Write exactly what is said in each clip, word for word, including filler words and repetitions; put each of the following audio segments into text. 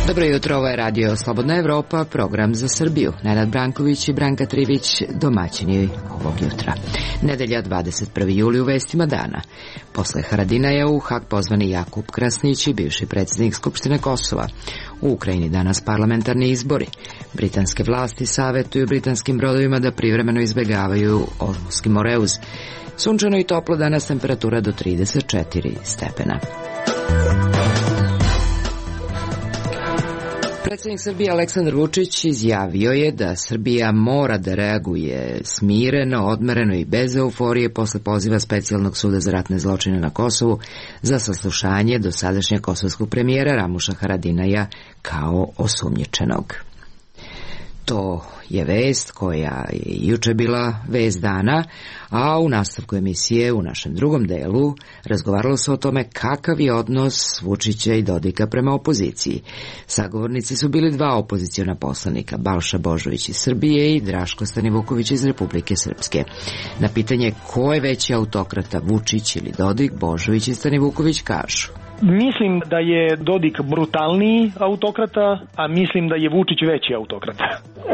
Dobro jutro, ovo je Radio Slobodna Evropa, program za Srbiju. Nenad Branković i Branka Trivić, domaćini ovog jutra. Nedelja, dvadeset prvi juli, u vestima dana. Posle Haradinaja u Hag pozvani Jakub Krasnić i bivši predsjednik Skupštine Kosova. U Ukrajini danas parlamentarni izbori. Britanske vlasti savetuju britanskim brodovima da privremeno izbegavaju Ormuski Moreuz. Sunčano i toplo, danas temperatura do trideset četiri stepena. Predsjednik Srbije Aleksandar Vučić izjavio je da Srbija mora da reaguje smireno, odmereno i bez euforije posle poziva Specijalnog suda za ratne zločine na Kosovu za saslušanje dosadašnjeg kosovskog premijera Ramuša Haradinaja kao osumnjičenog. To je vest koja je juče bila vest dana, a u nastavku emisije u našem drugom delu razgovaralo se o tome kakav je odnos Vučića i Dodika prema opoziciji. Sagovornici su bili dva opoziciona poslanika, Balša Božović iz Srbije i Draško Stanivuković iz Republike Srpske. Na pitanje ko je veći autokrata, Vučić ili Dodik, Božović i Stanivuković kažu: Mislim da je Dodik brutalniji autokrata, a mislim da je Vučić veći autokrata.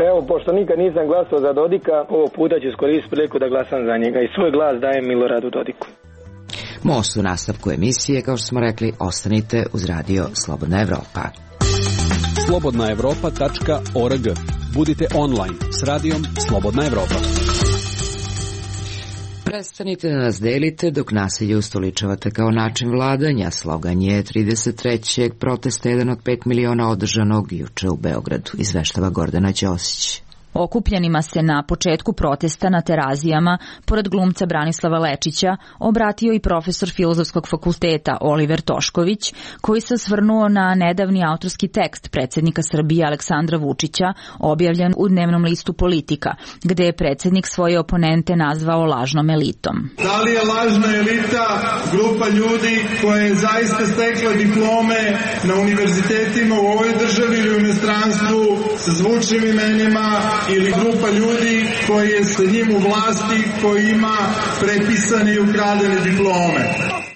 Evo, pošto nikad nisam glasao za Dodika, ovog puta ću iskoristiti priliku da glasam za njega i svoj glas dajem Miloradu Dodiku. Most u nastavku emisije, kao što smo rekli, ostanite uz Radio Slobodna Evropa. slobodna evropa tačka org. Budite online s radijom Slobodna Evropa. Prestanite da nas delite dok nasilje ustoličavate kao način vladanja. Slogan je trideset trećeg protesta, jedan od pet miliona održanog juče u Beogradu, izveštava Gordana Ćosić. Okupljenima se na početku protesta na Terazijama, pored glumca Branislava Lečića, obratio i profesor Filozofskog fakulteta Oliver Tošković, koji se osvrnuo na nedavni autorski tekst predsjednika Srbije Aleksandra Vučića, objavljen u dnevnom listu Politika, gde je predsjednik svoje oponente nazvao lažnom elitom. Da li je lažna elita grupa ljudi koja je zaista stekla diplome na univerzitetima u ovoj državi ili u inostranstvu sa zvučnim imenima, ili grupa ljudi koji je sa njim u vlasti, koji ima prepisane i ukradene diplome?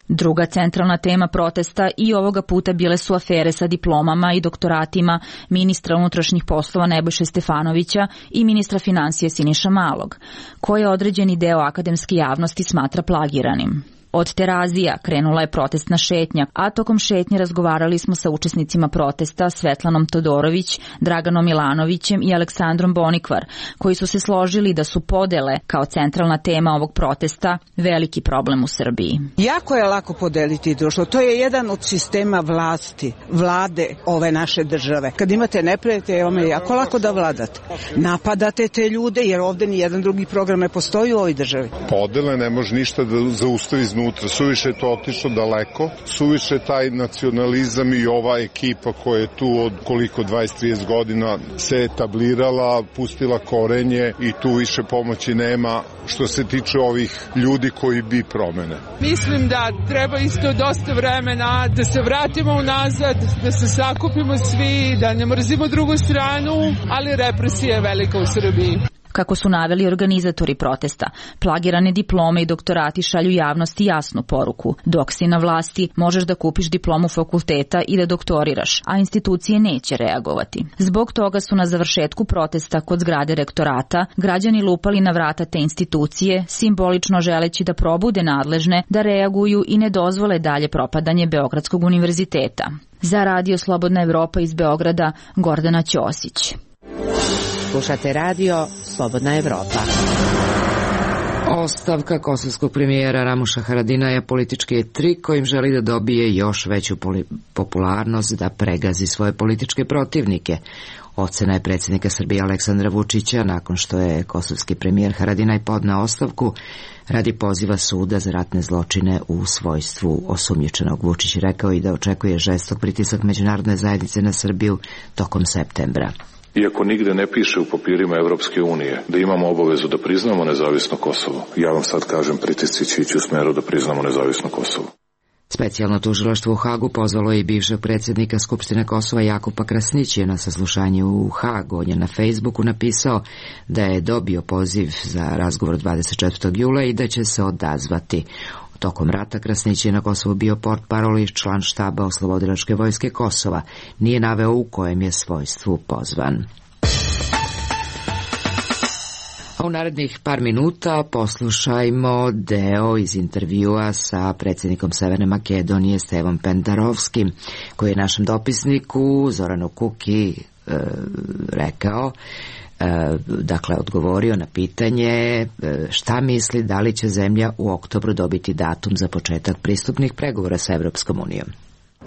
Druga centralna tema protesta i ovoga puta bile su afere sa diplomama i doktoratima ministra unutrašnjih poslova Nebojše Stefanovića i ministra finansija Siniša Malog, koje određeni deo akademske javnosti smatra plagiranim. Od Terazija krenula je protestna šetnja, a tokom šetnje razgovarali smo sa učesnicima protesta Svetlanom Todorović, Draganom Milanovićem i Aleksandrom Bonikvar, koji su se složili da su podele kao centralna tema ovog protesta veliki problem u Srbiji. Jako je lako podeliti društvo. To je jedan od sistema vlasti, vlade ove naše države. Kad imate neprijatelje, vam je jako lako da vladate. Napadate te ljude jer ovde ni jedan drugi program ne postoji u ovoj državi. Podele ne može ništa da zaustavi iznutra. Suviše je to otišlo daleko, suviše taj nacionalizam i ova ekipa koja je tu od koliko dvadeset trideset godina se etablirala, pustila korenje i tu više pomoći nema što se tiče ovih ljudi koji bi promene. Mislim da treba isto dosta vremena da se vratimo unazad, da se sakupimo svi, da ne mrzimo drugu stranu, ali represija je velika u Srbiji. Kako su naveli organizatori protesta, plagirane diplome i doktorati šalju javnosti jasnu poruku. Dok si na vlasti, možeš da kupiš diplomu fakulteta i da doktoriraš, a institucije neće reagovati. Zbog toga su na završetku protesta kod zgrade rektorata građani lupali na vrata te institucije, simbolično želeći da probude nadležne da reaguju i ne dozvole dalje propadanje Beogradskog univerziteta. Za Radio Slobodna Evropa iz Beograda, Gordana Ćosić. Slušate Radio Slobodna Evropa. Ostavka kosovskog premijera Ramuša Haradinaja politički je trik kojim želi da dobije još veću popularnost, da pregazi svoje političke protivnike. Ocena je predsjednika Srbije Aleksandra Vučića nakon što je kosovski premijer Haradinaj podneo ostavku radi poziva suda za ratne zločine u svojstvu osumnjičenog. Vučić rekao i da očekuje žestok pritisak međunarodne zajednice na Srbiju tokom septembra. Iako nigde ne piše u papirima Evropske unije da imamo obavezu da priznamo nezavisno Kosovo, ja vam sad kažem, pritisci će ići u smeru da priznamo nezavisno Kosovo. Specijalno tužilaštvo u Hagu pozvalo je i bivšeg predsjednika Skupštine Kosova Jakupa Krasnićija na saslušanje u Hag. On je na Facebooku napisao da je dobio poziv za razgovor dvadeset četvrtog jula i da će se odazvati. Tokom rata Krasnić je na Kosovu bio portparol i član štaba Oslobodilačke vojske Kosova. Nije naveo u kojem je svojstvu pozvan. A u narednih par minuta poslušajmo deo iz intervjua sa predsjednikom Severne Makedonije Stevom Pendarovskim, koji je našem dopisniku Zoranu Kuki e, rekao, e, dakle odgovorio na pitanje e, šta misli da li će zemlja u oktobru dobiti datum za početak pristupnih pregovora sa Evropskom unijom.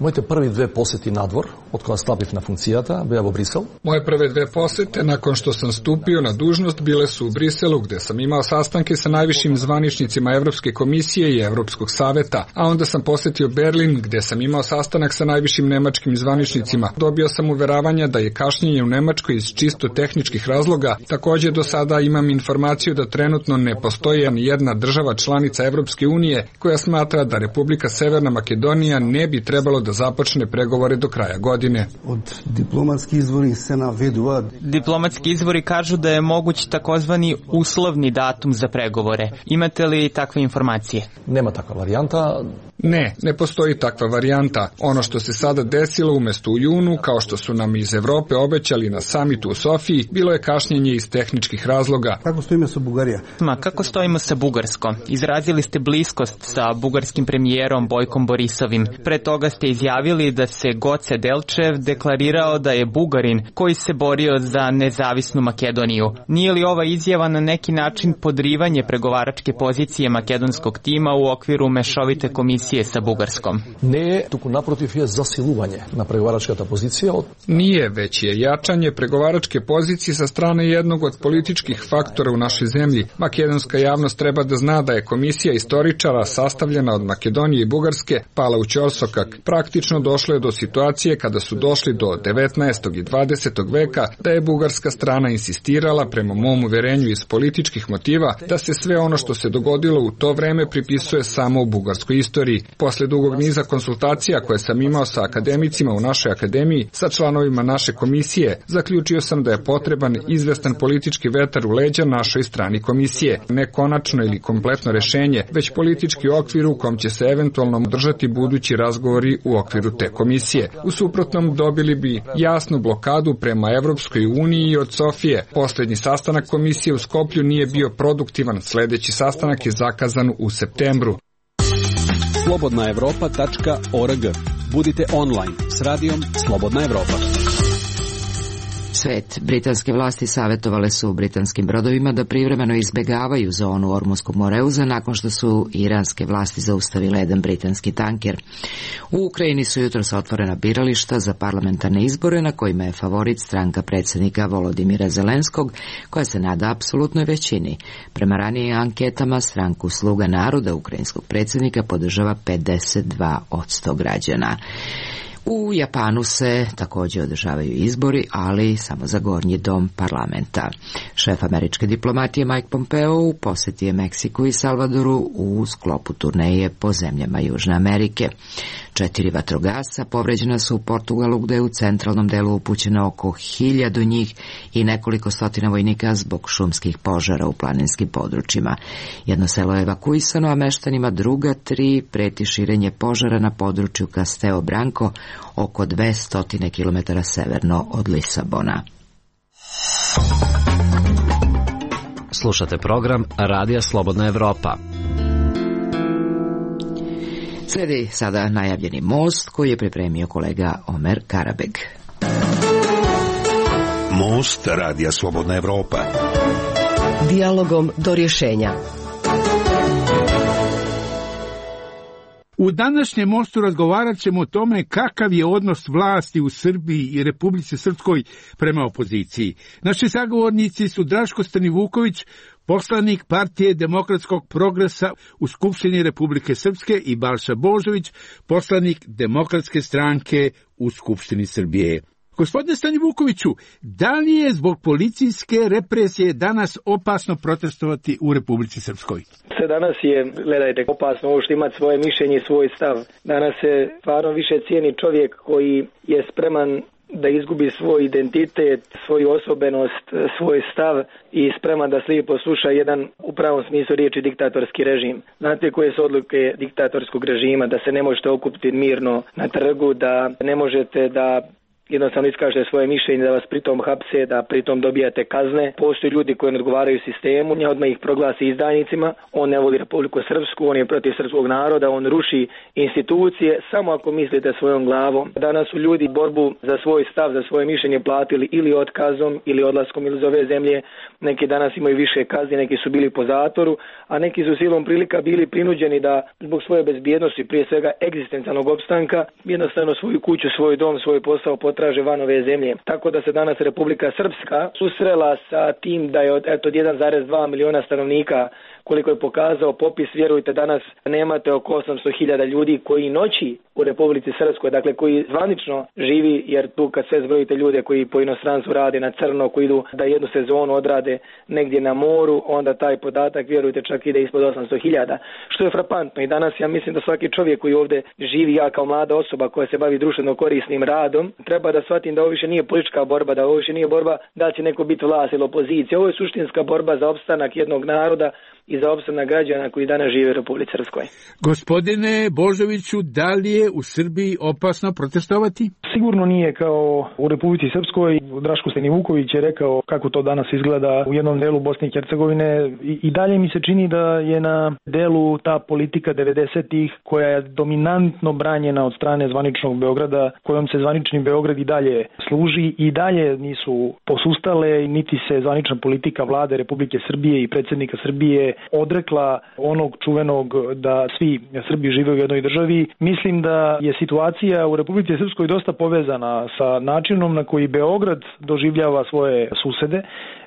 Моите први две посети надвор, од кога стапив на функцијата, беа во Брисел. Moje prve dve posete nakon što sam stupio na dužnost bile su u Briselu, gde sam imao sastanke sa najvišim zvaničnicima Evropske komisije i Evropskog saveta, a onda sam posetio Berlin, gde sam imao sastanak sa najvišim nemačkim zvaničnicima. Dobio sam uveravanja da je kašnjenje u Nemačkoj iz čisto tehničkih razloga. Takođe do sada imam informaciju da trenutno ne postoji ni jedna država članica Evropske unije koja smatra da Republika Severna Makedonija ne bi trebalo da započne pregovore do kraja godine. Od diplomatski izvori se navedува. Diplomatski izvori kažu da je moguć takozvani uslovni datum za pregovore. Imate li takve informacije? Nema takva varijanta. Ne, ne postoji takva varijanta. Ono što se sada desilo umesto u junu, kao što su nam iz Evrope obećali na samitu u Sofiji, bilo je kašnjenje iz tehničkih razloga. Kako stojimo sa Bugarija? Ma, kako stojimo sa Bugarskom? Izrazili ste bliskost sa bugarskim premijerom Bojkom Borisovim. Pre toga ste izjavili da se Goce Delčev deklarirao da je Bugarin koji se borio za nezavisnu Makedoniju. Nije li ova izjava na neki način podrivanje pregovaračke pozicije makedonskog tima u okviru mešovite komisije sa Bugarskom? Ne, туку напротив je zasiluvanje na pregovaračkата pozicija. Nije, već je jačanje pregovaračke pozicije sa strane jednog od političkih faktora u našoj zemlji. Makedonska javnost treba da zna da je komisija istoričara sastavljena od Makedonije i Bugarske pala u ćorsokak. Praktično došlo je do situacije kada su došli do devetnaestog i dvadesetog veka da je bugarska strana insistirala, prema mom uverenju iz političkih motiva, da se sve ono što se dogodilo u to vreme pripisuje samo u bugarskoj istoriji. Posle dugog niza konsultacija koje sam imao sa akademicima u našoj akademiji, sa članovima naše komisije, zaključio sam da je potreban izvestan politički vetar u leđa našoj strani komisije. Ne konačno ili kompletno rešenje, već politički okvir u kom će se eventualno održati budući razgovori u okviru te komisije. U suprotnom dobili bi jasnu blokadu prema Evropskoj uniji od Sofije. Poslednji sastanak komisije u Skoplju nije bio produktivan, sledeći sastanak je zakazan u septembru. slobodna evropa tačka org. Budite online s radijom Slobodna Evropa. Svet. Britanske vlasti savjetovale su britanskim brodovima da privremeno izbegavaju zonu Ormuzskog moreuza nakon što su iranske vlasti zaustavile jedan britanski tanker. U Ukrajini su jutros otvorena birališta za parlamentarne izbore na kojima je favorit stranka predsjednika Volodimira Zelenskog, koja se nada apsolutnoj većini. Prema ranijim anketama stranku Sluga naroda ukrajinskog predsjednika podržava pedeset dva posto građana. U Japanu se također održavaju izbori, ali samo za gornji dom parlamenta. Šef američke diplomatije Mike Pompeo u posjeti je Meksiku i Salvadoru u sklopu turneje po zemljama Južne Amerike. Četiri vatrogasca povređena su u Portugalu, gde je u centralnom delu upućeno oko hiljadu njih i nekoliko stotina vojnika zbog šumskih požara u planinskim područjima. Jedno selo je evakuisano, a meštanima druga tri preti širenje požara na području Castelo Branco, oko dvesta kilometara severno od Lisabona. Slušate program Radija Slobodna Evropa. Slijedi sada najavljeni most koji je pripremio kolega Omer Karabeg. Most Radija Slobodna Evropa. Dijalogom do rješenja. U današnjem mostu razgovarat ćemo o tome kakav je odnos vlasti u Srbiji i Republici Srpskoj prema opoziciji. Naši sagovornici su Draško Stanivuković, poslanik Partije demokratskog progresa u Skupštini Republike Srpske, i Balša Božović, poslanik Demokratske stranke u Skupštini Srbije. Gospodine Stani Vukoviću, da li je zbog policijske represije danas opasno protestovati u Republici Srpskoj? Se danas je, gledajte, opasno ovo što imati svoje mišljenje i svoj stav. Danas se stvarno više cijeni čovjek koji je spreman da izgubi svoj identitet, svoju osobenost, svoj stav i spreman da slijepo sluša jedan u pravom smislu riječi diktatorski režim. Znate koje su odluke diktatorskog režima? Da se ne možete okupiti mirno na trgu, da ne možete da jednostavno iskažete svoje mišljenje, da vas pritom hapse, da pritom dobijate kazne. Postoji ljudi koji ne odgovaraju sistemu, nje odmah ih proglasi izdajnicima. On ne voli Republiku Srpsku, on je protiv srpskog naroda, on ruši institucije, samo ako mislite svojom glavom. Danas su ljudi borbu za svoj stav, za svoje mišljenje platili ili otkazom, ili odlaskom iz ove zemlje. Neki danas imaju više kazni, neki su bili po zatvoru, a neki su silom prilika bili prinuđeni da zbog svoje bezbjednosti, prije svega egzistencijalnog opstanka, jednostavno svoju kuću, svoj dom, svoj posao traže van ove zemlje. Tako da se danas Republika Srpska susrela sa tim da je od, eto, jedan zarez dva miliona stanovnika, koliko je pokazao popis, vjerujte, danas nemate oko osamsto hiljada ljudi koji noći u Republici Srpskoj, dakle koji zvanično živi, jer tu kad sve zbrojite ljude koji po inostranstvu rade na crno, koji idu da jednu sezonu odrade negdje na moru, onda taj podatak, vjerujte, čak ide ispod osamsto hiljada, što je frapantno. I danas ja mislim da svaki čovjek koji ovdje živi, ja kao mlada osoba koja se bavi društveno korisnim radom, treba da shvatim da ovo više nije politička borba, da ovo više nije borba da će neko biti vlast ili opozicija. Ovo je suštinska borba za opstanak jednog naroda i za opstanak građana koji danas žive u Republici Srpskoj. Gospodine Božoviću, da li je u Srbiji opasno protestovati? Sigurno nije kao u Republici Srpskoj. Draško Stani Vuković je rekao kako to danas izgleda u jednom delu Bosne i Hercegovine. I, i dalje mi se čini da je na delu ta politika devedesetih koja je dominantno branjena od strane zvaničnog Beograda, kojom se zvanični Beograd i dalje služi i dalje nisu posustale, niti se zvanična politika vlade Republike Srbije i predsjednika Srbije odrekla onog čuvenog da svi Srbi žive u jednoj državi. Mislim da je situacija u Republici Srpskoj dosta povezana sa načinom na koji Beograd doživljava svoje susede.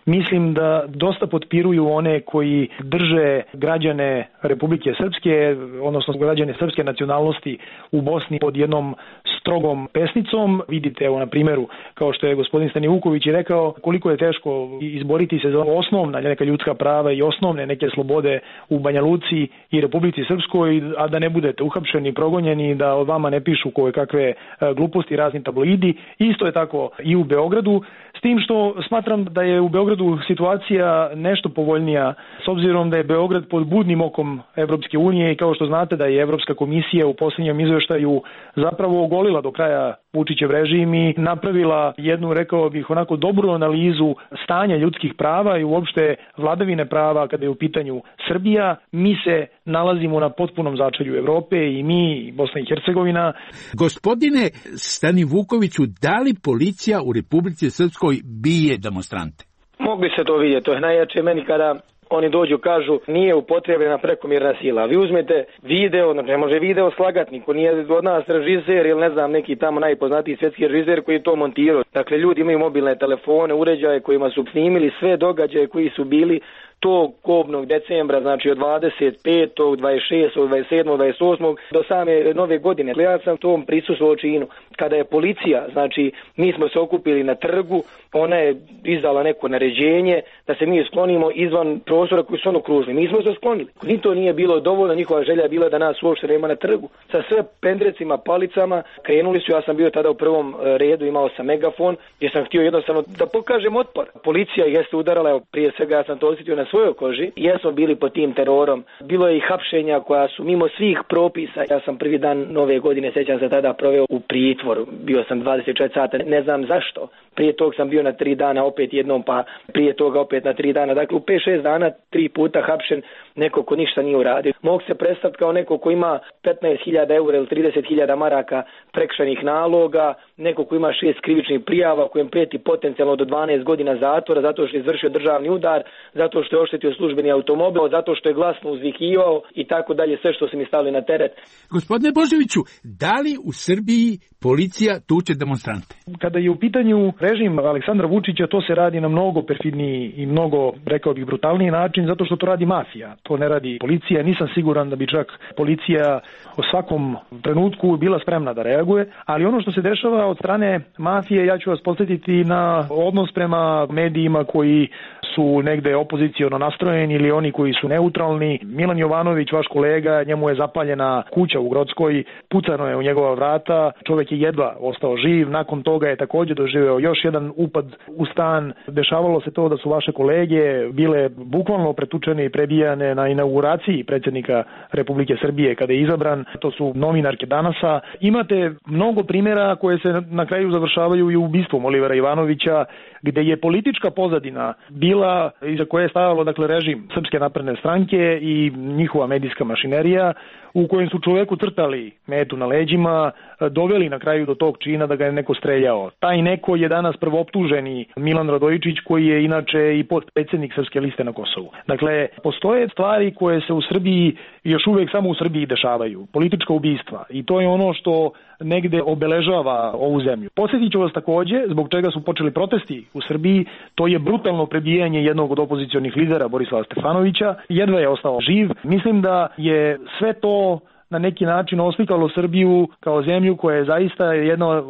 Mislim da dosta potpiruju one koji drže građane Republike Srpske, odnosno građane srpske nacionalnosti u Bosni pod jednom strogom pesnicom. Vidite, evo na primjeru, kao što je gospodin Stani Vuković i rekao, koliko je teško izboriti se za osnovna neka ljudska prava i osnovne neke slobode u Banja Luci i Republici Srpskoj, a da ne budete uhapšeni, progonjeni, da od vama ne pišu koje kakve gluposti, razni tabloidi. Isto je tako i u Beogradu, s tim što smatram da je u Beogradu situacija nešto povoljnija, s obzirom da je Beograd pod budnim okom Evropske unije i kao što znate da je Evropska komisija u posljednjem izveštaju zapravo ogolila do kraja Vučićev režim i napravila jednu, rekao bih, onako dobru analizu stanja ljudskih prava i uopšte vladavine prava kada je u pitanju Srbija. Mi se nalazimo na potpunom začelju Evrope i mi, i Bosna i Hercegovina. Gospodine Stani Vukoviću, da li policija u Republici Srpskoj bije demonstrante? Mogli se to vidjeti, to je najjače meni kada oni dođu, kažu nije upotrebljena prekomjerna sila. Vi uzmete video, ne može video slagati, niko nije od nas režiser ili ne znam neki tamo najpoznatiji svjetski režiser koji je to montirao. Dakle, ljudi imaju mobilne telefone, uređaje kojima su snimili sve događaje koji su bili tog kobnog decembra, znači od dvadeset petog, dvadeset šestog, dvadeset sedmog, dvadeset osmog do same nove godine. Ja sam tom prisustvovao činu. Kada je policija, znači mi smo se okupili na trgu, ona je izdala neko naređenje da se mi sklonimo izvan prostora koji su ono kružili. Mi smo se sklonili. Ni to nije bilo dovoljno, njihova želja je bila da nas uopšte nema na trgu. Sa sve pendrecima, palicama, krenuli su, ja sam bio tada u prvom redu, imao sam megafon, jer sam htio jednostavno da pokažem otpor. Policija jeste udarala, evo, prije svega ja sam to osjetio na svojoj koži, jesmo bili pod tim terorom. Bilo je i hapšenja koja su mimo svih propisa. Ja sam prvi dan nove godine, sjećam se, tada proveo u pritvoru. Bio sam dvadeset četiri sata, ne znam zašto. Prije tog sam bio na tri dana opet jednom, pa prije toga opet na tri dana. Dakle, u pet šest dana tri puta hapšen, neko ko ništa nije uradio. Mogu se predstaviti kao neko ko ima petnaest hiljada eura ili trideset hiljada maraka prekršajnih naloga, neko ko ima šest krivičnih prijava, kojem prijeti potencijalno do dvanaest godina zatvora zato što je izvršio državni udar, zato što je oštetio službeni automobil, zato što je glasno uzvikivao i tako dalje, sve što se mi stavili na teret. Gospodine Božoviću, da li u Srbiji policija tuče demonstrante? Kada je u pitanju režim Aleksandra Vučića, to se radi na mnogo perfidniji i mnogo, rekao bih, brutalniji način, zato što to radi mafija. to ne radi policija. Nisam siguran da bi čak policija u svakom trenutku bila spremna da reaguje, ali ono što se dešava od strane mafije, ja ću vas podsjetiti na odnos prema medijima koji su negde opoziciono nastrojeni ili oni koji su neutralni. Milan Jovanović, vaš kolega, njemu je zapaljena kuća u Grockoj, pucano je u njegova vrata, čovjek je jedva ostao živ, nakon toga je također doživeo još jedan upad u stan. Dešavalo se to da su vaše kolege bile bukvalno pretučene i prebijane na inauguraciji predsjednika Republike Srbije kada je izabran. To su novinarke Danasa. Imate mnogo primjera koje se na kraju završavaju i ubistvom Olivera Ivanovića, gde je politička pozadina bila iza koje je stavalo dakle režim Srpske napredne stranke i njihova medijska mašinerija, u kojem su čoveku crtali metu na leđima, doveli na kraju do tog čina da ga je neko streljao. Taj neko je danas prvooptuženi Milan Radojičić, koji je inače i potpredsjednik Srpske liste na Kosovu. Dakle, postoje stvari koje se u Srbiji još uvijek samo u Srbiji dešavaju. Politička ubistva. I to je ono što negde obeležava ovu zemlju. Podsjetit ću vas takođe, zbog čega su počeli protesti u Srbiji, to je brutalno prebijanje jednog od opozicionih lidera, Borislava Stefanovića. Jedva je ostao živ. Mislim da je sve to na neki način oslikalo Srbiju kao zemlju koja je zaista jedna,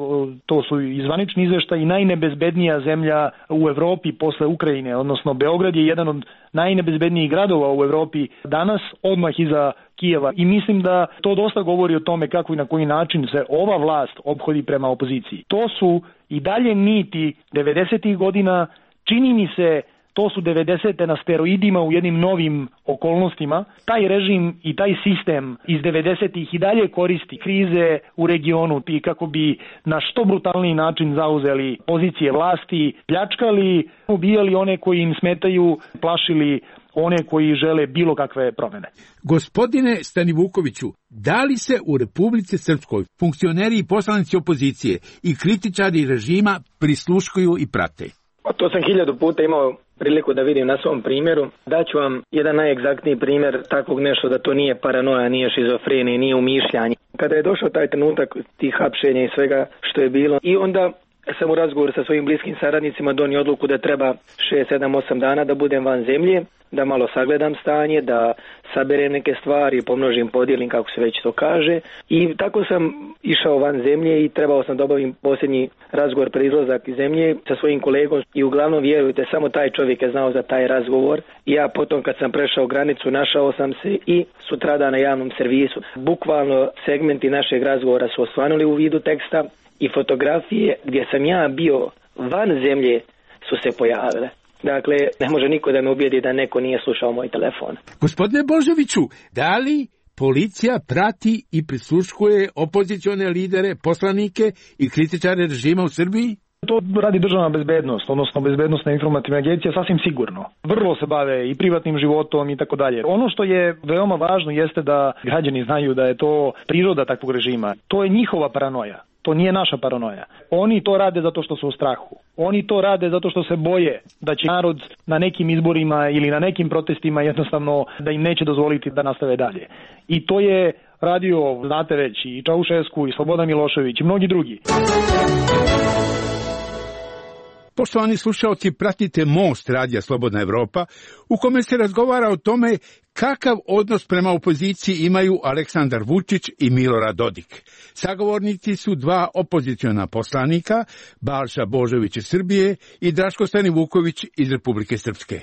to su i zvanični izveštaji, najnebezbednija zemlja u Evropi posle Ukrajine, odnosno Beograd je jedan od najnebezbednijih gradova u Evropi danas, odmah iza Kijeva. I mislim da to dosta govori o tome kako i na koji način se ova vlast ophodi prema opoziciji. To su i dalje niti devedesetih godina, čini mi se to su devedesete na steroidima u jednim novim okolnostima. Taj režim i taj sistem iz devedesetih i dalje koristi krize u regionu i kako bi na što brutalniji način zauzeli pozicije vlasti, pljačkali, ubijali one koji im smetaju, plašili one koji žele bilo kakve promene. Gospodine Stanivukoviću, da li se u Republici Srpskoj funkcioneri i poslanici opozicije i kritičari režima prisluškuju i prate? To sam hiljadu puta imao priliku da vidim na svom primjeru. Daću vam jedan najegzaktniji primjer takvog nešto, da to nije paranoja, nije šizofrenija, nije umišljanje. Kada je došao taj trenutak tih hapšenja i svega što je bilo, i onda sam u razgovoru sa svojim bliskim saradnicima donio odluku da treba šest, sedam, osam dana da budem van zemlje, da malo sagledam stanje, da saberem neke stvari, pomnožim, podijelim, kako se već to kaže. I tako sam išao van zemlje i trebao sam da obavim posljednji razgovor pred izlazak iz zemlje sa svojim kolegom i uglavnom, vjerujte, samo taj čovjek je znao za taj razgovor. I ja potom kad sam prešao granicu našao sam se i sutrada na javnom servisu. Bukvalno segmenti našeg razgovora su osvanuli u vidu teksta i fotografije gdje sam ja bio van zemlje su se pojavile. Dakle, ne može niko da me ubijedi da neko nije slušao moj telefon. Gospodine Božoviću, da li policija prati i prisluškuje opozicione lidere, poslanike i kritičare režima u Srbiji? To radi državna bezbednost, odnosno bezbednostna informativna agencija, sasvim sigurno. Vrlo se bave i privatnim životom i tako dalje. Ono što je veoma važno jeste da građani znaju da je to priroda takvog režima. To je njihova paranoja. To nije naša paranoja. Oni to rade zato što su u strahu. Oni to rade zato što se boje da će narod na nekim izborima ili na nekim protestima jednostavno da im neće dozvoliti da nastave dalje. I to je radio, znate već, i Čaušesku, i Slobodan Milošević, i mnogi drugi. Poštovani slušalci, pratite Most radija Slobodna Evropa, u kome se razgovara o tome kakav odnos prema opoziciji imaju Aleksandar Vučić i Milorad Dodik. Sagovornici su dva opoziciona poslanika, Balša Božović iz Srbije i Draško Stanivuković iz Republike Srpske.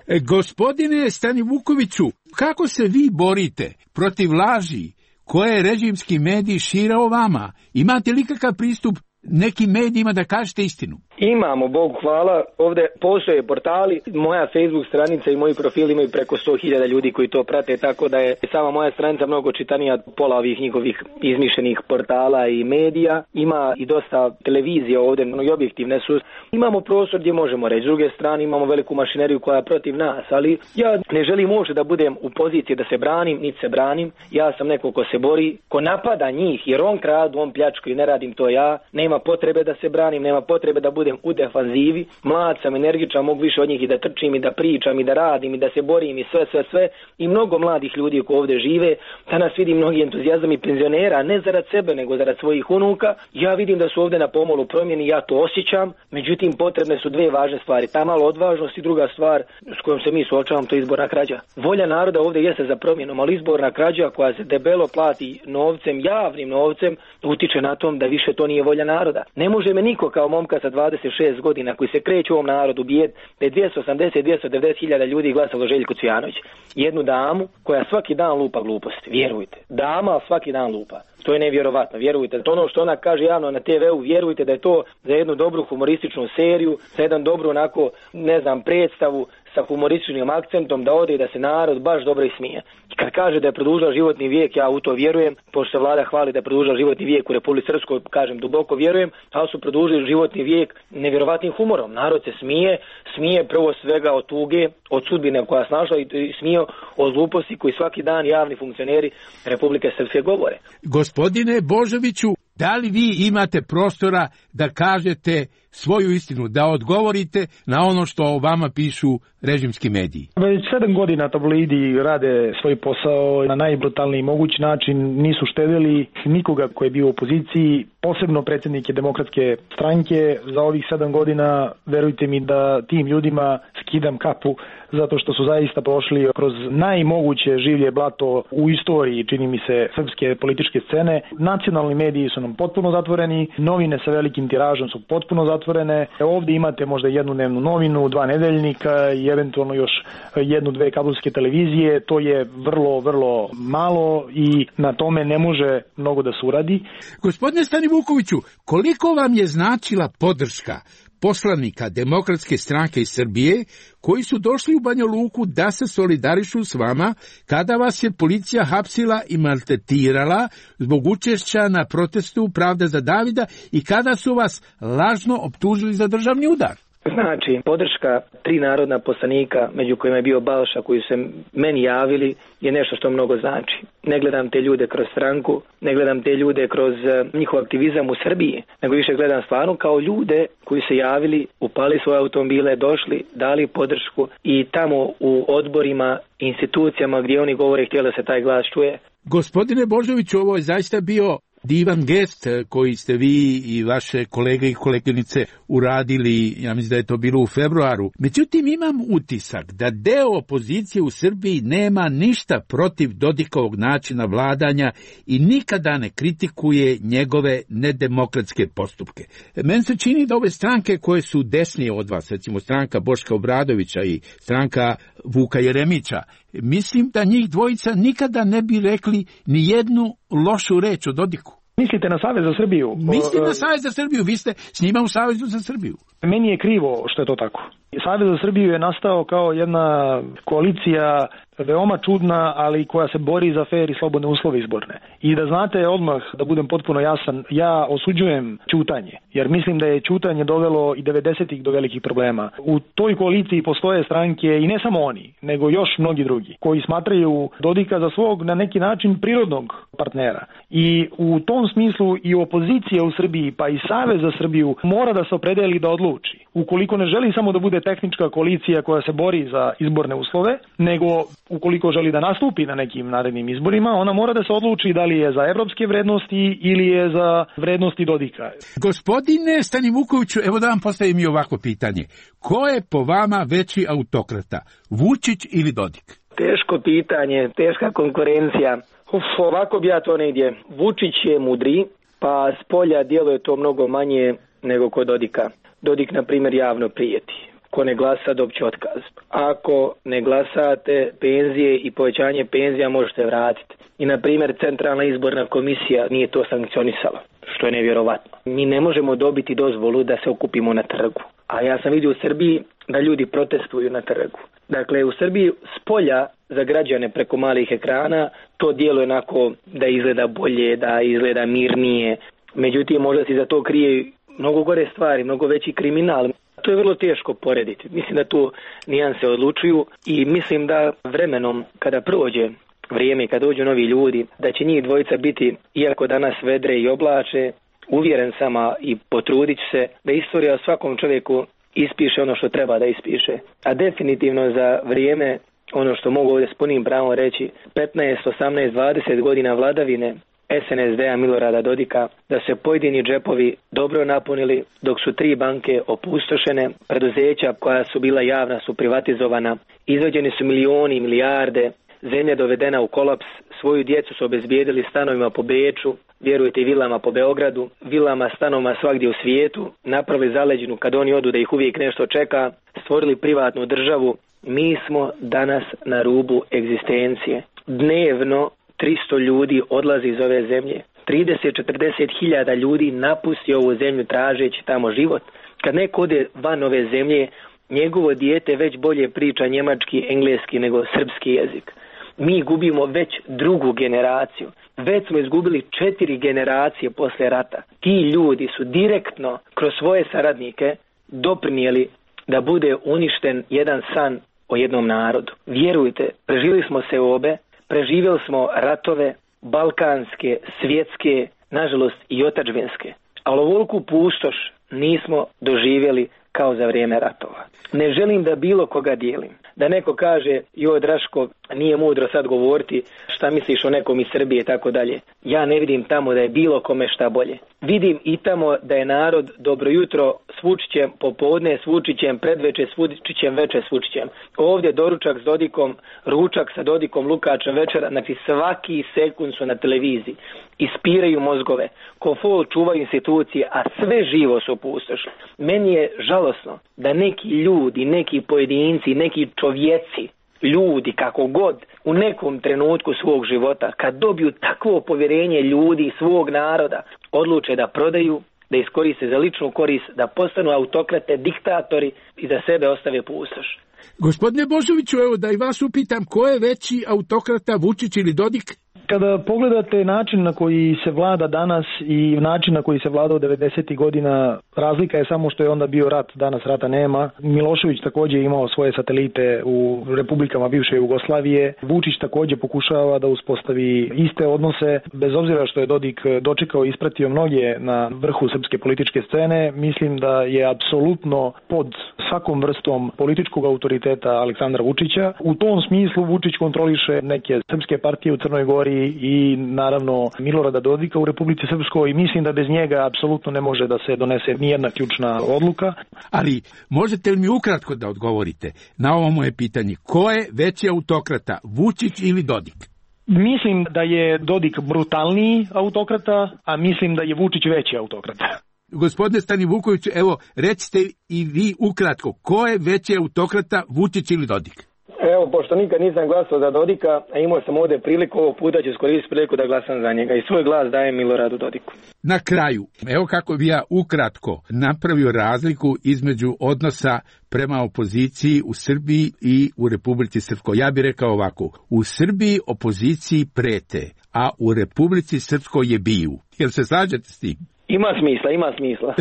E, gospodine Stanivukoviću, kako se vi borite protiv laži koje režimski mediji šire o vama? Imate li kakav pristup nekim medijima da kažete istinu? Imamo, Bogu hvala. Ovde postoje portali, moja Facebook stranica i moji profili imaju preko sto hiljada ljudi koji to prate, tako da je sama moja stranica mnogo čitanija od pola ovih njihovih izmišljenih portala i medija. Ima i dosta televizija ovde, mnogi objektivne su. Imamo prostor gdje možemo reći. S druge strane imamo veliku mašineriju koja je protiv nas, ali ja ne želim uopšte da budem u poziciji da se branim, niti se branim. Ja sam neko ko se bori, ko napada njih, jer on kradu, on pljačku i ne radim to ja. Nema potrebe da se branim, nema potrebe da budem budem u defanzivi, mlad sam, energičan, mogu više od njih i da trčim i da pričam i da radim i da se borim i sve, sve, sve. I mnogo mladih ljudi koji ovdje žive, danas vidim mnogi entuzijazam i penzionera, ne zarad sebe, nego zarad svojih unuka. Ja vidim da su ovdje na pomolu promjeni, ja to osjećam, međutim potrebne su dvije važne stvari, ta malo odvažnost i druga stvar s kojom se mi suočavamo, to je izborna krađa. Volja naroda ovdje jeste za promjenom, ali izborna krađa koja se debelo plati novcem, javnim novcem, utiče na tom da više to nije volja naroda. Ne može me niko kao momka sa dvadeset šest godina koji se kreće u ovom narodu bijed da je dvjesto osamdeset do dvjesto devedeset hiljada ljudi glasalo Željko Cvijanović. Jednu damu koja svaki dan lupa gluposti, vjerujte. Dama svaki dan lupa. To je nevjerovatno, vjerujte. To ono što ona kaže javno na te veu, vjerujte da je to za jednu dobru humorističnu seriju, za jedan dobru onako, ne znam, predstavu sa humorističnim akcentom da ode i da se narod baš dobro ismije. I kad kaže da je produžila životni vijek, ja u to vjerujem, pošto se vlada hvali da je produžila životni vijek u Republici Srpskoj, kažem duboko vjerujem, ali su produžili životni vijek nevjerovatnim humorom. Narod se smije, smije prvo svega od tuge, od sudbine koja je snašla i smije od gluposti koji svaki dan javni funkcioneri Republike Srpske govore. Gospodine Božoviću, da li vi imate prostora da kažete svoju istinu, da odgovorite na ono što o vama pišu režimski mediji? Već sedam godina tabloidi rade svoj posao na najbrutalniji mogući način, nisu štedili nikoga koji je bio u opoziciji, posebno predsjednike Demokratske stranke. Za ovih sedam godina, verujte mi da tim ljudima skidam kapu, zato što su zaista prošli kroz najmoguće življe blato u istoriji, čini mi se, srpske političke scene. Nacionalni mediji su nam potpuno zatvoreni, novine sa velikim tiražom su potpuno zatvorene. Ovdje imate možda jednu dnevnu novinu, dva nedeljnika i eventualno još jednu, dve kabelske televizije. To je vrlo, vrlo malo i na tome ne može mnogo da se uradi. Gospodine Stani Vukoviću, koliko vam je značila podrška poslanika Demokratske stranke iz Srbije koji su došli u Banja Luku da se solidarišu s vama kada vas je policija hapsila i maltretirala zbog učešća na protestu Pravda za Davida i kada su vas lažno optužili za državni udar? Znači, podrška tri narodna poslanika, među kojima je bio Balša, koji su se meni javili, je nešto što mnogo znači. Ne gledam te ljude kroz stranku, ne gledam te ljude kroz njihov aktivizam u Srbiji, nego više gledam stvarno kao ljude koji se javili, upali svoje automobile, došli, dali podršku i tamo u odborima, institucijama gdje oni govore, htjeli da se taj glas čuje. Gospodine Božoviću, ovo je zaista bio divan gest koji ste vi i vaše kolege i koleginice uradili, ja mislim da je to bilo u februaru. Međutim, imam utisak da deo opozicije u Srbiji nema ništa protiv Dodikovog načina vladanja i nikada ne kritikuje njegove nedemokratske postupke. Meni se čini da ove stranke koje su desnije od vas, recimo stranka Boška Obradovića i stranka Vuka Jeremića, mislim da njih dvojica nikada ne bi rekli ni jednu lošu reč o Dodiku. Mislite na Savez za Srbiju? Mislim na Savez za Srbiju, vi ste s njima u Savezu za Srbiju. Meni je krivo što je to tako. Savez za Srbiju je nastao kao jedna koalicija veoma čudna, ali koja se bori za fer i slobodne uslove izborne. I da znate odmah, da budem potpuno jasan, ja osuđujem ćutanje, jer mislim da je ćutanje dovelo i devedesetih do velikih problema. U toj koaliciji postoje stranke i ne samo oni, nego još mnogi drugi, koji smatraju Dodika za svog na neki način prirodnog partnera. I u tom smislu i opozicija u Srbiji, pa i Savez za Srbiju mora da se opredeli da odluči. Ukoliko ne želi samo da bude tehnička koalicija koja se bori za izborne uslove, nego ukoliko želi da nastupi na nekim narednim izborima, ona mora da se odluči da li je za evropske vrednosti ili je za vrednosti Dodika. Gospodine Stani Vukoviću, evo da vam postavim i ovako pitanje. Ko je po vama veći autokrata, Vučić ili Dodik? Teško pitanje, teška konkurencija. Uf, ovako bi ja to negdje. Vučić je mudri, pa s polja djeluje to mnogo manje nego kod Dodika. Dodik, na primjer, javno prijeti. Ko ne glasa, dobće otkaz. Ako ne glasate, penzije i povećanje penzija možete vratiti. I, na primjer, Centralna izborna komisija nije to sankcionisala, što je nevjerovatno. Mi ne možemo dobiti dozvolu da se okupimo na trgu. A ja sam vidio u Srbiji da ljudi protestuju na trgu. Dakle, u Srbiji s polja za građane preko malih ekrana to djeluje onako da izgleda bolje, da izgleda mirnije. Međutim, možda se za to krije mnogo gore stvari, mnogo veći kriminal. To je vrlo teško porediti. Mislim da tu nijanse odlučuju i mislim da vremenom kada prođe vrijeme i kada dođu novi ljudi, da će njih dvojica biti, iako danas vedre i oblače, uvjeren sam i potrudit ću se da istorija o svakom čovjeku ispiše ono što treba da ispiše. A definitivno za vrijeme, ono što mogu ovdje s punim pravom reći, petnaest, osamnaest, dvadeset godina vladavine es en es de a Milorada Dodika, da se pojedini džepovi dobro napunili, dok su tri banke opustošene, preduzeća koja su bila javna su privatizovana, izvađeni su milioni i milijarde, zemlja dovedena u kolaps, svoju djecu su obezbijedili stanovima po Beču, vjerujte i vilama po Beogradu, vilama, stanovima svagdje u svijetu, napravili zaleđinu kad oni odu da ih uvijek nešto čeka, stvorili privatnu državu. Mi smo danas na rubu egzistencije. Dnevno tristo ljudi odlazi iz ove zemlje. trideset do četrdeset hiljada ljudi napusti ovu zemlju tražeći tamo život. Kad neko ode van ove zemlje, njegovo dijete već bolje priča njemački, engleski nego srpski jezik. Mi gubimo već drugu generaciju. Već smo izgubili četiri generacije posle rata. Ti ljudi su direktno kroz svoje saradnike doprinijeli da bude uništen jedan san o jednom narodu. Vjerujte, preživjeli smo se obe, preživjeli smo ratove, balkanske, svjetske, nažalost i otadžbinske. Ali ovoliku pustoš nismo doživjeli kao za vrijeme ratova. Ne želim da bilo koga dijelim. Da neko kaže, joj Draško, nije mudro sad govoriti šta misliš o nekom iz Srbije i tako dalje. Ja ne vidim tamo da je bilo kome šta bolje. Vidim i tamo da je narod dobro jutro s Vučićem, popodne s Vučićem, predveče s Vučićem, veče s Vučićem. Ovdje doručak s Dodikom, ručak sa Dodikom, Lukačem večera, znači svaki sekund su na televiziji. Ispiraju mozgove, ko fol čuvaju institucije, a sve živo su opustošili. Meni je žalosno da neki ljudi, neki pojedinci, neki čovjeci, ljudi kako god, u nekom trenutku svog života, kad dobiju takvo povjerenje ljudi svog naroda, odluče da prodaju, da iskoriste za ličnu korist, da postanu autokrate, diktatori i za sebe ostave pustoš. Gospodine Božoviću, evo da i vas upitam, ko je veći autokrata, Vučić ili Dodik? Kada pogledate način na koji se vlada danas i način na koji se vlada u devedesetih godina, razlika je samo što je onda bio rat, danas rata nema. Milošević također imao svoje satelite u republikama bivše Jugoslavije. Vučić također pokušava da uspostavi iste odnose, bez obzira što je Dodik dočekao i ispratio mnoge na vrhu srpske političke scene. Mislim da je apsolutno pod svakom vrstom političkog autoriteta Aleksandra Vučića. U tom smislu Vučić kontroliše neke srpske partije u Crnoj Gori i naravno Milorada Dodika u Republici Srpskoj i mislim da bez njega apsolutno ne može da se donese nijedna ključna odluka. Ali možete li mi ukratko da odgovorite na ovo moje pitanje? Ko je veći autokrata, Vučić ili Dodik? Mislim da je Dodik brutalniji autokrata, a mislim da je Vučić veći autokrata. Gospodine Stanivuković, evo recite i vi ukratko, ko je veći autokrata, Vučić ili Dodik? Evo, pošto nikad nisam glasao za Dodika, a imao sam ovdje priliku, ovog puta ću iskoristiti priliku da glasam za njega i svoj glas dajem Miloradu Dodiku. Na kraju, evo kako bi ja ukratko napravio razliku između odnosa prema opoziciji u Srbiji i u Republici Srpskoj. Ja bih rekao ovako, u Srbiji opoziciji prete, a u Republici Srpskoj je biju. Jel se slažete s tim? Ima smisla, ima smisla.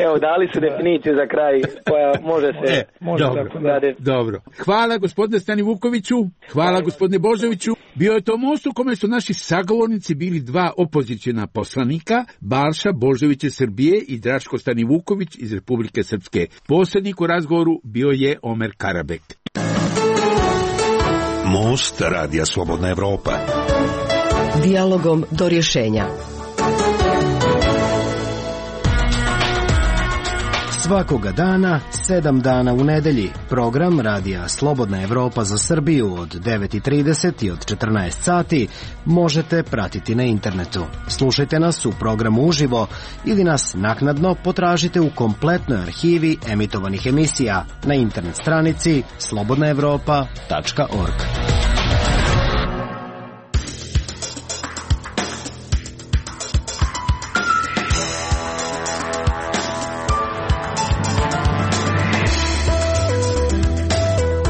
Evo, dali su definiciju za kraj koja može se... E, može dobro, dobro. Hvala gospodine Stanivukoviću, hvala gospodine Božoviću. Bio je to most u kome su naši sagovornici bili dva opozicijna poslanika, Balša Božović iz Srbije i Draško Stanivuković iz Republike Srpske. Posrednik u razgovoru bio je Omer Karabek. Most Radija Slobodna Evropa. Dijalogom do rješenja. Svakoga dana, sedam dana u nedelji, program Radija Slobodna Evropa za Srbiju od devet i trideset i od četrnaest sati možete pratiti na internetu. Slušajte nas u programu uživo ili nas naknadno potražite u kompletnoj arhivi emitovanih emisija na internet stranici slobodna evropa tačka org.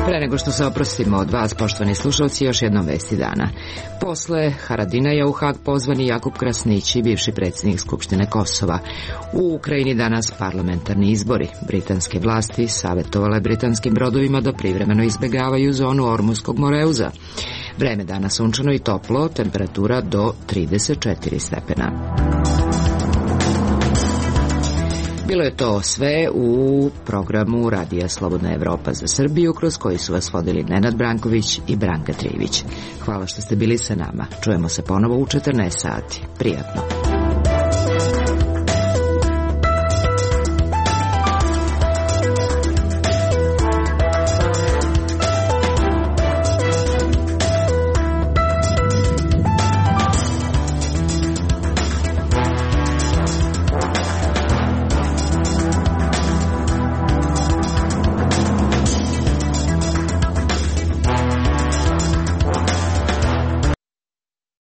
Pre nego što se oprostimo od vas, poštovani slušalci, još jednom vesti dana. Posle Haradinaja u Hag pozvani Jakub Krasnić, bivši predsjednik Skupštine Kosova. U Ukrajini danas parlamentarni izbori. Britanske vlasti savjetovale britanskim brodovima da privremeno izbjegavaju zonu Ormuskog moreuza. Vreme danas sunčano i toplo, temperatura do trideset četiri stepena. Bilo je to sve u programu Radija Slobodna Evropa za Srbiju, kroz koji su vas vodili Nenad Branković i Branka Trivić. Hvala što ste bili sa nama. Čujemo se ponovo u četrnaest sati. Prijatno.